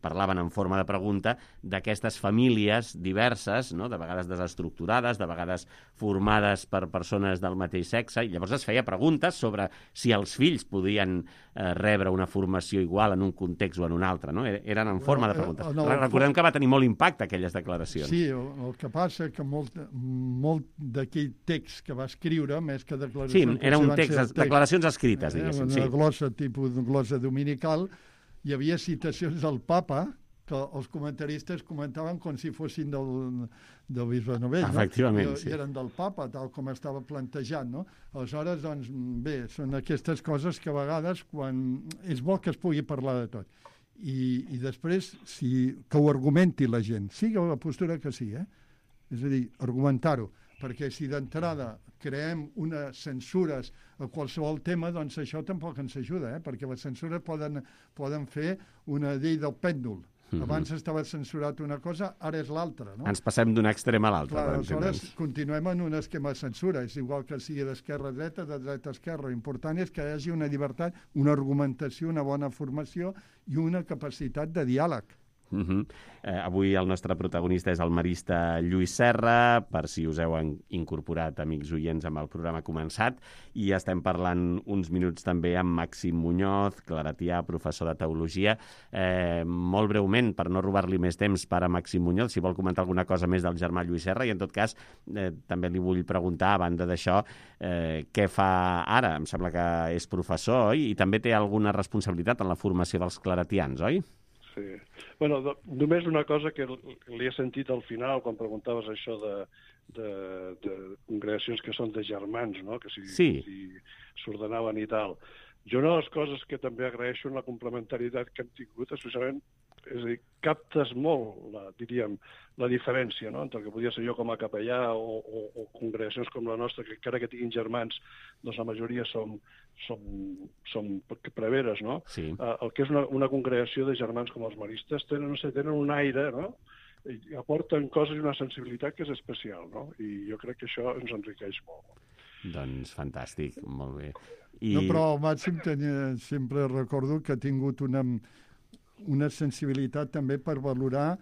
parlaven en forma de pregunta d'aquestes famílies diverses, no? De vegades desestructurades, de vegades formades per persones del mateix sexe, i llavors es feia preguntes sobre si els fills podien rebre una formació igual en un context o en un altre, no? Eren en forma de preguntes. Recordem que va tenir molt impacte aquelles declaracions. Sí, el que passa que molt d'aquell text que va escriure, més que declaracions... Sí, era un text, declaracions escrites, diguéssim. Una glossa, tipus de glossa dominical. Hi havia citacions del papa que els comentaristes comentaven com si fossin del bisbe Novell. Efectivament, sí. I eren del papa, tal com estava plantejat, no? Aleshores, doncs, bé, són aquestes coses que a vegades és bo que es pugui parlar de tot. I després, que ho argumenti la gent, sigui la postura que sigui, és a dir, argumentar-ho, perquè si d'entrada creem unes censures a qualsevol tema, doncs això tampoc ens ajuda, perquè les censures poden fer una llei del pèndol. Abans estava censurat una cosa, ara és l'altra, no? Ens passem d'un extrem a l'altre. Clar, aleshores continuem en un esquema de censura. És igual que sigui d'esquerra a dreta, de dreta a esquerra. L'important és que hi hagi una llibertat, una argumentació, una bona formació i una capacitat de diàleg. Avui el nostre protagonista és el marista Lluís Serra, per si us heu incorporat, amics oients, amb el programa començat, i estem parlant uns minuts també amb Màxim Muñoz, claretià, professor de teologia. Molt breument, per no robar-li més temps, pare Màxim Muñoz, si vol comentar alguna cosa més del germà Lluís Serra, i en tot cas també li vull preguntar, a banda d'això, què fa ara? Em sembla que és professor, oi? I també té alguna responsabilitat en la formació dels claretians, oi? Sí. Bueno, només una cosa que li he sentit al final, quan preguntaves això de congregacions que són de germans, no? Que si s'ordenaven i tal. Jo una de les coses que també agraeixo en la complementarietat que hem tingut, especialment, és a dir, captes molt, diríem, la diferència, no?, entre el que podia ser jo com a capellà o congregacions com la nostra, que encara que tinguin germans, doncs la majoria som preveres, no? Sí. El que és una congregació de germans com els maristes tenen un aire, no?, i aporten coses i una sensibilitat que és especial, no? I jo crec que això ens enriqueix molt. Doncs fantàstic, molt bé. No, però el Màxim sempre recordo que ha tingut una sensibilitat també per valorar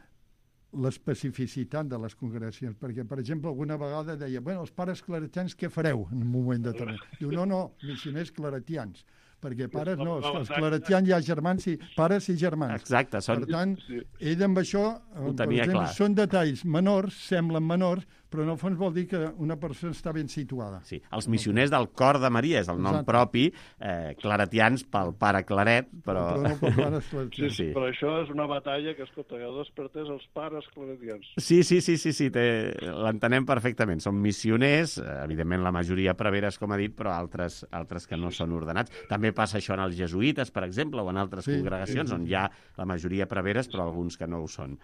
l'especificitat de les congregacions, perquè, per exemple, alguna vegada deia, bueno, els pares claretians què fareu en un moment determinat? Diu, no, missioners claretians, perquè pares no, els claretians hi ha germans, pares i germans. Exacte. Per tant, ell amb això, per exemple, són detalls menors, semblen menors, però en el fons vol dir que una persona està ben situada. Sí, els missioners del Cor de Maria és el nom propi, claretians pel pare Claret, però no pel pare claretians. Sí, però això és una batalla que, escolta, ja despertés els pares claretians. Sí, l'entenem perfectament. Són missioners, evidentment la majoria preveres, com ha dit, però altres que no són ordenats. També passa això en els jesuïtes, per exemple, o en altres congregacions, on hi ha la majoria preveres, però alguns que no ho són.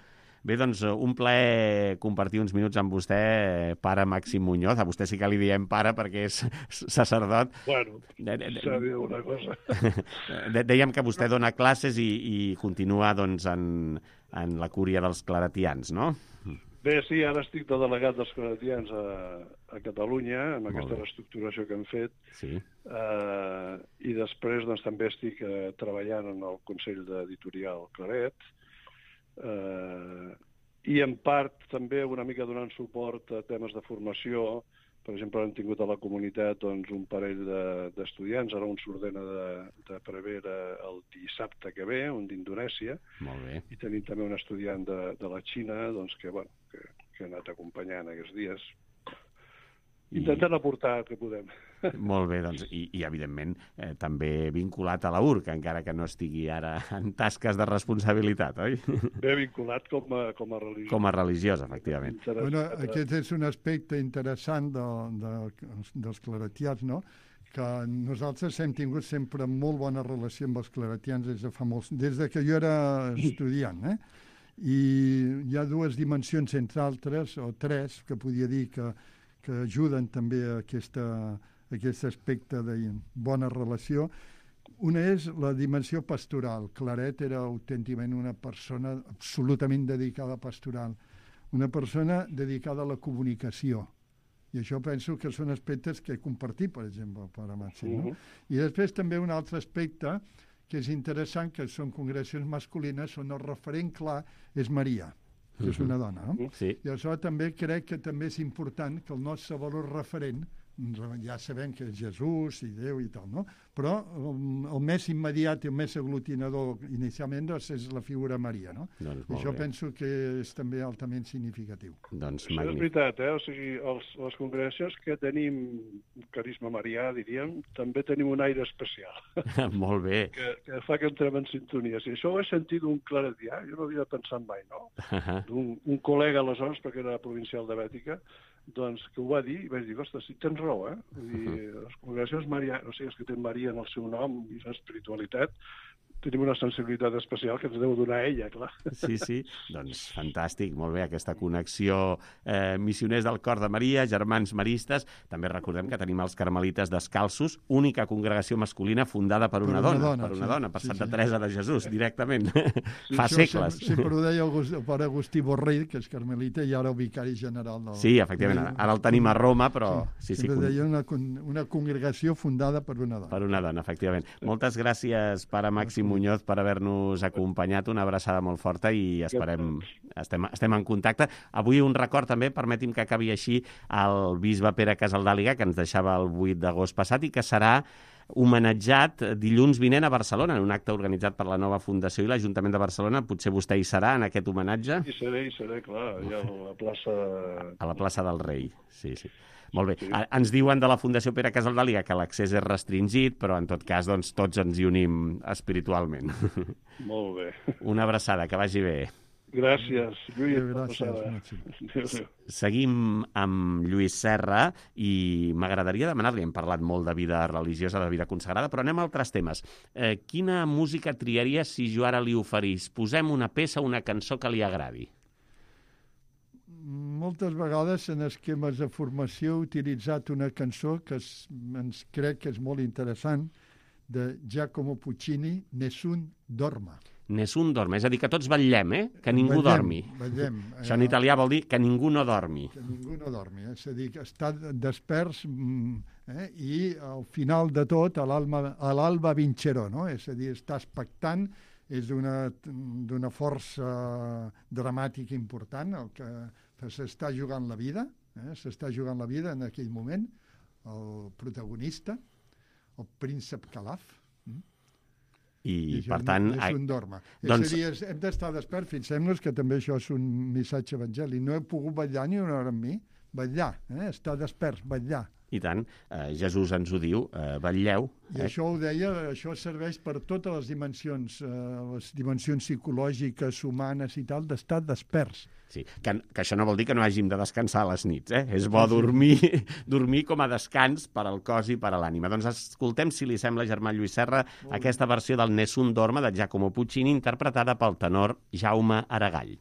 Bé, doncs, un plaer compartir uns minuts amb vostè, pare Màxim Muñoz. A vostè sí que li diem pare perquè és sacerdot. Bueno, s'ha dit una cosa. Dèiem que vostè dona classes i continua doncs, en la cúria dels claretians, no? Bé, sí, ara estic de delegat dels claretians a Catalunya, amb aquesta reestructuració que hem fet. Sí. I després doncs, també estic treballant en el Consell d'Editorial Claret, i en part també una mica donant suport a temes de formació. Per exemple, hem tingut a la comunitat doncs, un parell d'estudiants, ara un s'ordena de prevere el dissabte que ve, un d'Indonèsia. Molt bé. I tenim també un estudiant de la Xina doncs, que ha anat acompanyant aquests dies. Intentant aportar el que podem. Molt bé, doncs, i evidentment, també vinculat a la URC, encara que no estigui ara en tasques de responsabilitat, oi? Ben vinculat com a religiós. Com a religiós, efectivament. Bueno, aquest és un aspecte interessant dels claretians, no? Que nosaltres hem tingut sempre molt bona relació amb els claretians des de que jo era estudiant, I hi ha dues dimensions, entre altres, o tres, que podia dir que ajuden també a aquest aspecte de bona relació. Una és la dimensió pastoral. Claret era autènticament una persona absolutament dedicada a pastoral, una persona dedicada a la comunicació. I això penso que són aspectes que he compartit, per exemple, el pare Màxim. No? I després també un altre aspecte que és interessant, que són congregacions masculines, on el referent clar és Maria, que és una dona. No? Sí. I això també crec que també és important que el nostre valor referent, ja sabem que és Jesús i Déu i tal, no? Però el més immediat i el més aglutinador inicialment és la figura Maria, no? Doncs I això penso que és també altament significatiu. Doncs això és veritat, O sigui, les congregacions que tenim carisma marià, diríem, també tenim un aire especial. Molt bé. Que fa que entrem en sintonia. Si això ho he sentit d'un claretià, jo no havia pensat mai, no? Un col·lega aleshores, perquè era provincial de Bètica, doncs que ho va dir i vaig dir, ostres, sí, tens raó, Vull dir, les congregacions marianes, o sigui, els que tenen Maria en el seu nom i l'espiritualitat, tenim una sensibilitat especial que ens deu donar ella, clar. Sí, doncs fantàstic, molt bé, aquesta connexió missioners del cor de Maria, germans maristes. També recordem que tenim els carmelites descalços, única congregació masculina fundada per una dona, per Santa Teresa de Jesús, directament, fa segles. Sempre ho deia el pare Agustí Borrell, que és carmelita, i ara el vicari general del... Sí, efectivament, ara el tenim a Roma, però... Sí, deia una congregació fundada per una dona. Per una dona, efectivament. Moltes gràcies, pare Màxim Muñoz, per haver-nos acompanyat, una abraçada molt forta i estem en contacte. Avui un record també, permeti'm que acabi així, al bisbe Pere Casaldàliga, que ens deixava el 8 d'agost passat i que serà homenatjat dilluns vinent a Barcelona, en un acte organitzat per la nova Fundació i l'Ajuntament de Barcelona. Potser vostè hi serà, en aquest homenatge? Hi seré, clar, allà a la plaça... A la plaça del Rei, sí. Molt bé. Sí. Ens diuen de la Fundació Pere Casaldàliga que l'accés és restringit, però en tot cas doncs, tots ens hi unim espiritualment. Molt bé. Una abraçada, que vagi bé. Gràcies, Lluís. Gràcies. Seguim amb Lluís Serra i m'agradaria demanar-li, hem parlat molt de vida religiosa, de vida consagrada, però anem a altres temes. Quina música triaria si jo ara li oferís? Posem una peça, una cançó que li agradi. Moltes vegades en esquemes de formació he utilitzat una cançó que ens crec que és molt interessant, de Giacomo Puccini, Nessun dorma. Nessun dorma, és a dir, que tots vetllem, que ningú dormi. Vetllem. Això en italià vol dir que ningú no dormi. Que ningú no dormi, és a dir, que està despers i al final de tot, a l'alba vincerò, no? És a dir, està expectant, és d'una força dramàtica important, el que s'està jugant la vida, s'està jugant la vida en aquell moment, el protagonista, el príncep Calaf, i per tant... És un dorma. Doncs... És a dir, hem d'estar desperts, fixem-nos que també això és un missatge evangèlic. No he pogut vetllar ni una hora amb mi, vetllar, estar desperts, vetllar. I tant, Jesús ens ho diu, vetlleu. I això ho deia, això serveix per totes les dimensions psicològiques, humanes i tal, d'estar desperts. Sí, que això no vol dir que no hàgim de descansar a les nits, És bo dormir com a descans per al cos i per a l'ànima. Doncs escoltem, si li sembla, germà Lluís Serra, aquesta versió del Nessun dorma de Giacomo Puccini, interpretada pel tenor Jaume Aragall.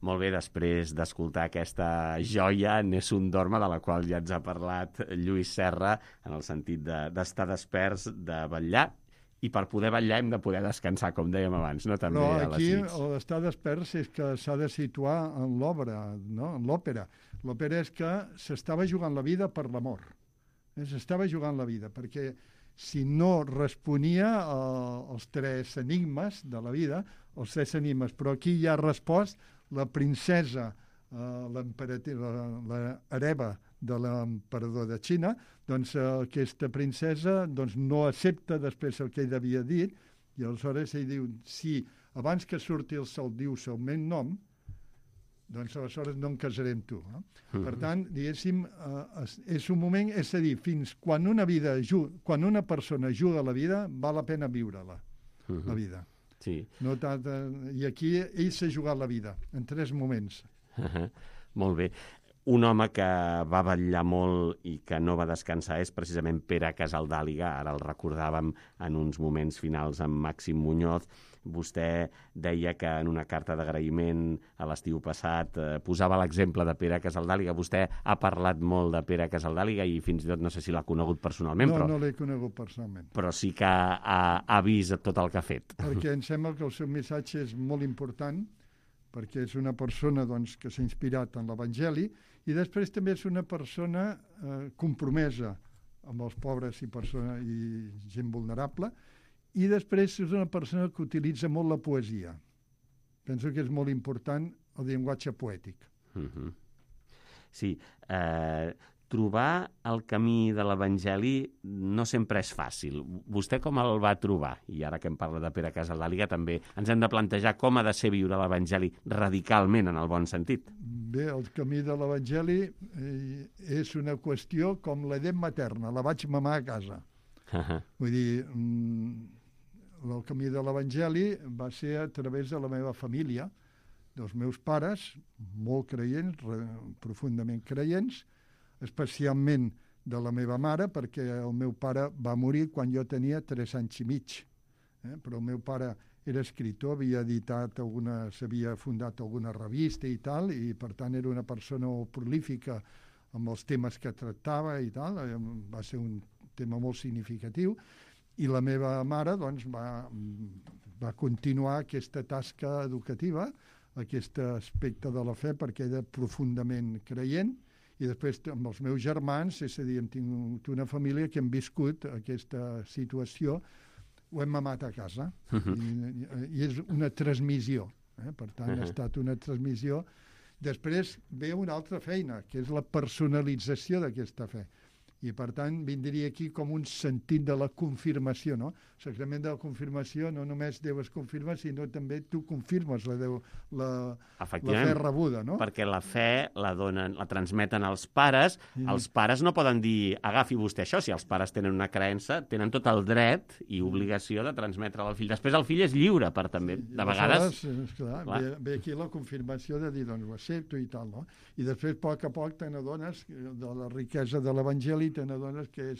Molt bé, després d'escoltar aquesta joia, Nessun Dorma, de la qual ja ens ha parlat Lluís Serra, en el sentit d'estar desperts, de vetllar, i per poder vetllar hem de poder descansar, com dèiem abans, no? També Però a les aquí nits. l'estar desperts és que s'ha de situar en l'obra, no? En l'òpera. L'òpera és que s'estava jugant la vida per l'amor. S'estava jugant la vida, perquè si no responia als tres enigmes de la vida, els tres enigmes, però aquí ja ha respost la princesa, l'hereva de l'emperador de Xina, doncs aquesta princesa no accepta després el que ell havia dit, i aleshores ell diu, si abans que surti el sol dius el meu nom, doncs aleshores no em casaré amb tu. Per tant, diguéssim, és un moment, és a dir, fins quan una persona juga la vida, val la pena viure-la, la vida. Sí. No tant, i aquí ell s'ha jugat la vida, en 3 moments. Molt bé. Un home que va vetllar molt i que no va descansar és precisament Pere Casaldàliga. Ara el recordàvem en uns moments finals amb Màxim Muñoz. Vostè deia que en una carta d'agraïment a l'estiu passat posava l'exemple de Pere Casaldàliga. Vostè ha parlat molt de Pere Casaldàliga i fins i tot no sé si l'ha conegut personalment. No l'he conegut personalment. Però sí que ha vist tot el que ha fet. Perquè em sembla que el seu missatge és molt important, perquè és una persona que s'ha inspirat en l'Evangeli, i després també és una persona compromesa amb els pobres i gent vulnerable, i després és una persona que utilitza molt la poesia. Penso que és molt important el llenguatge poètic. Sí, trobar el camí de l'Evangeli no sempre és fàcil. Vostè com el va trobar? I ara que em parla de Pere Casaldàliga també ens hem de plantejar com ha de ser viure l'Evangeli radicalment, en el bon sentit. Bé, el camí de l'Evangeli és una qüestió com l'edat materna, la vaig mamar a casa. Vull dir, el camí de l'Evangeli va ser a través de la meva família, dels meus pares, molt creients, profundament creients, especialment de la meva mare, perquè el meu pare va morir quan jo tenia 3 anys i mig. Però el meu pare era escriptor, havia editat s'havia fundat alguna revista i tal, i per tant era una persona prolífica amb els temes que tractava i tal, va ser un tema molt significatiu, i la meva mare va continuar aquesta tasca educativa, aquest aspecte de la fe, perquè era profundament creient, i després amb els meus germans, és a dir, hem tingut una família que hem viscut aquesta situació, ho hem mamat a casa, i és una transmissió, per tant ha estat una transmissió. Després ve una altra feina, que és la personalització d'aquesta fe, i per tant vindria aquí com un sentit de la confirmació, no? El sacrament de la confirmació no només Déu es confirma, sinó també tu confirmes la fe rebuda, no? Perquè la fe la transmeten els pares, els pares no poden dir agafi vostè això, si els pares tenen una creença, tenen tot el dret i obligació de transmetre-la al fill. Després el fill és lliure per també, de vegades... Ve aquí la confirmació de dir, doncs ho accepto i tal, no? I després, a poc, te n'adones de la riquesa de l'Evangeli, te n'adones que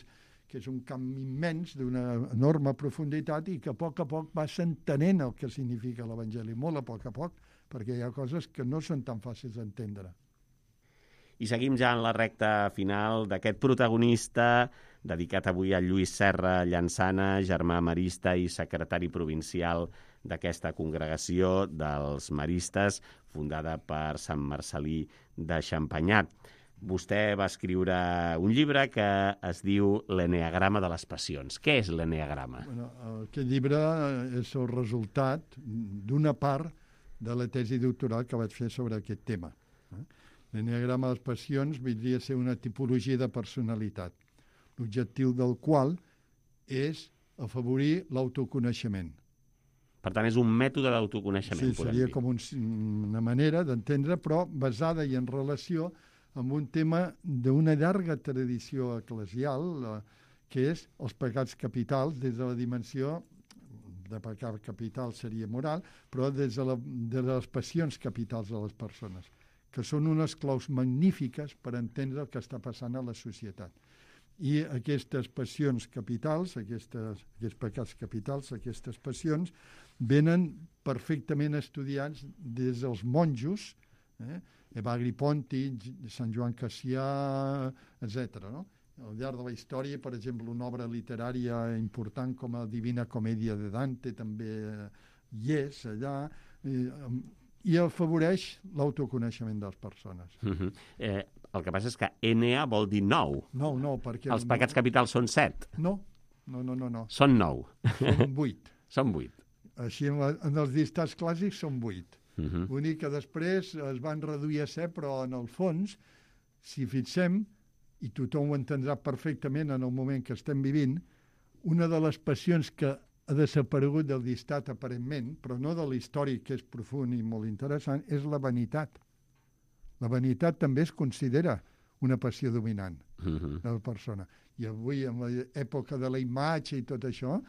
és un camp immens, d'una enorme profunditat, i que a poc vas entenent el que significa l'Evangeli, molt a poc, perquè hi ha coses que no són tan fàcils d'entendre. I seguim ja en la recta final d'aquest protagonista dedicat avui a Lluís Serra Llansana, germà marista i secretari provincial d'aquesta congregació dels maristes, fundada per Sant Marcel·lí de Xampanyat. Vostè va escriure un llibre que es diu L'Enneagrama de les Passions. Què és l'Enneagrama? Aquest llibre és el resultat d'una part de la tesi doctoral que vaig fer sobre aquest tema. L'Enneagrama de les Passions vindria a ser una tipologia de personalitat, l'objectiu del qual és afavorir l'autoconeixement. Per tant, és un mètode d'autoconeixement. Sí, seria com una manera d'entendre, però basada i en relació amb un tema d'una llarga tradició eclesial, que és els pecats capitals, des de la dimensió de pecat capital seria moral, però des de les passions capitals de les persones, que són unes claus magnífiques per entendre el que està passant a la societat. I aquestes passions capitals, aquests pecats capitals, aquestes passions, venen perfectament estudiats des dels monjos, Evagri Ponti, Sant Joan Cassià, etc. No? Al llarg de la història, per exemple, una obra literària important com la Divina Comèdia de Dante també hi és allà, i afavoreix l'autoconeixement de les persones. El que passa és que Enea vol dir 9. No, perquè... Els pecats capitals són 7. No. Són 9. Són 8. Són 8. Així, en els dictats clàssics són 8. L'únic que després es van reduir a 7, però en el fons, si fixem, i tothom ho entendrà perfectament en el moment que estem vivint, una de les passions que ha desaparegut del dictat aparentment, però no de l'històric, que és profund i molt interessant, és la vanitat. La vanitat també es considera una passió dominant de la persona. I avui, en l'època de la imatge i tot això,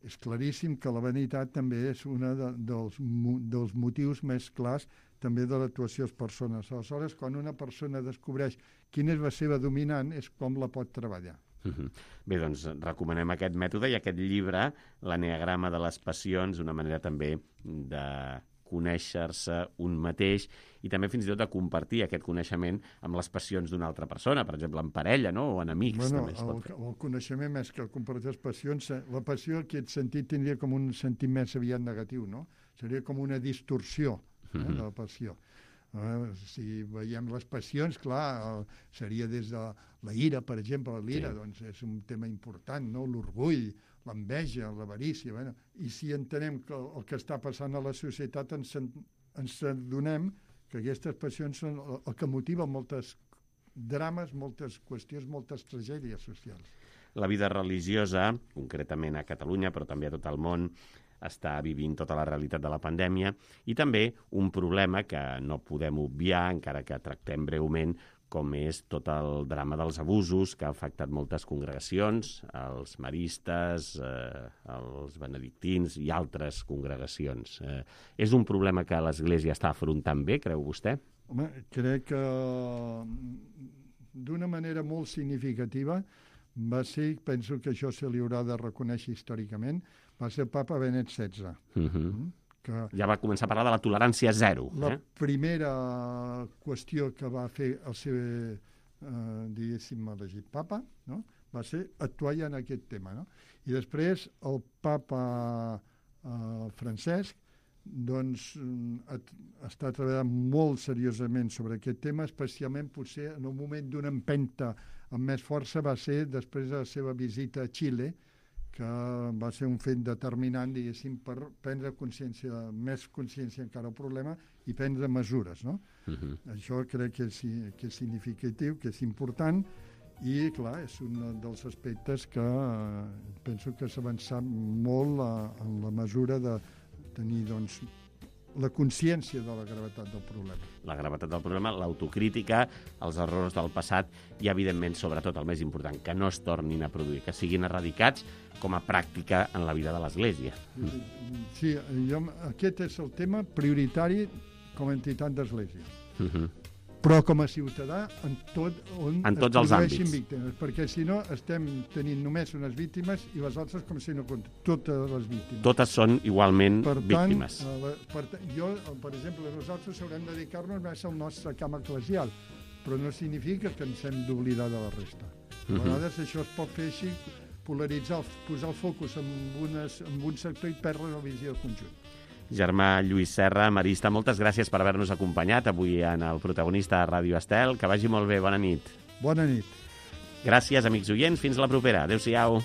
és claríssim que la vanitat també és un dels motius més clars també de l'actuació de les persones. Aleshores, quan una persona descobreix quina és la seva dominant, és com la pot treballar. Bé, doncs recomanem aquest mètode i aquest llibre, l'Enneagrama de les passions, una manera també de conèixer-se un mateix i també fins i tot de compartir aquest coneixement amb les passions d'una altra persona, per exemple, en parella, no? O en amics. També el coneixement més que compartir les passions, la passió en aquest sentit tindria com un sentit més aviat negatiu, no? Seria com una distorsió de la passió. Si veiem les passions, clar, seria des de la ira, per exemple, l'ira, doncs és un tema important, no? L'orgull, l'enveja, l'avarícia, i si entenem que el que està passant a la societat ens adonem que aquestes passions són el que motiva moltes drames, moltes qüestions, moltes tragèdies socials. La vida religiosa, concretament a Catalunya, però també a tot el món, està vivint tota la realitat de la pandèmia i també un problema que no podem obviar, encara que tractem breument, com és tot el drama dels abusos que ha afectat moltes congregacions, els maristes, els benedictins i altres congregacions. És un problema que l'Església està afrontant bé, creu vostè? Home, crec que d'una manera molt significativa va ser, penso que això se li haurà de reconèixer històricament, va ser el papa Benet XVI. Que ja va començar a parlar de la tolerància zero. La primera qüestió que va fer el seu, diguéssim, elegit papa, no? Va ser actuar ja en aquest tema. No? I després el papa Francesc doncs, està treballant molt seriosament sobre aquest tema, especialment potser en un moment d'una empenta amb més força va ser després de la seva visita a Xile, que va ser un fet determinant, diguéssim, per prendre consciència, més consciència encara del problema i prendre mesures, no? Això crec que és significatiu, que és important i, clar, és un dels aspectes que penso que s'ha avançat molt en la mesura de tenir, doncs, la consciència de la gravetat del problema. La gravetat del problema, l'autocrítica, els errors del passat i, evidentment, sobretot, el més important, que no es tornin a produir, que siguin eradicats com a pràctica en la vida de l'Església. Sí, aquest és el tema prioritari com a entitat d'Església. Però com a ciutadà en tots els àmbits. Víctimes, perquè si no estem tenint només unes víctimes i les altres com si no compten, totes les víctimes. Totes són igualment víctimes. Per exemple, nosaltres haurem de dedicar-nos més al nostre camp eclesial, però no significa que ens hem d'oblidar de la resta. A vegades això es pot fer així, polaritzar, posar el focus en un sector i perdre la visió del conjunt. Germà Lluís Serra, marista, moltes gràcies per haver-nos acompanyat avui en el protagonista de Ràdio Estel. Que vagi molt bé, bona nit. Bona nit. Gràcies, amics oients, fins la propera. Adéu-siau.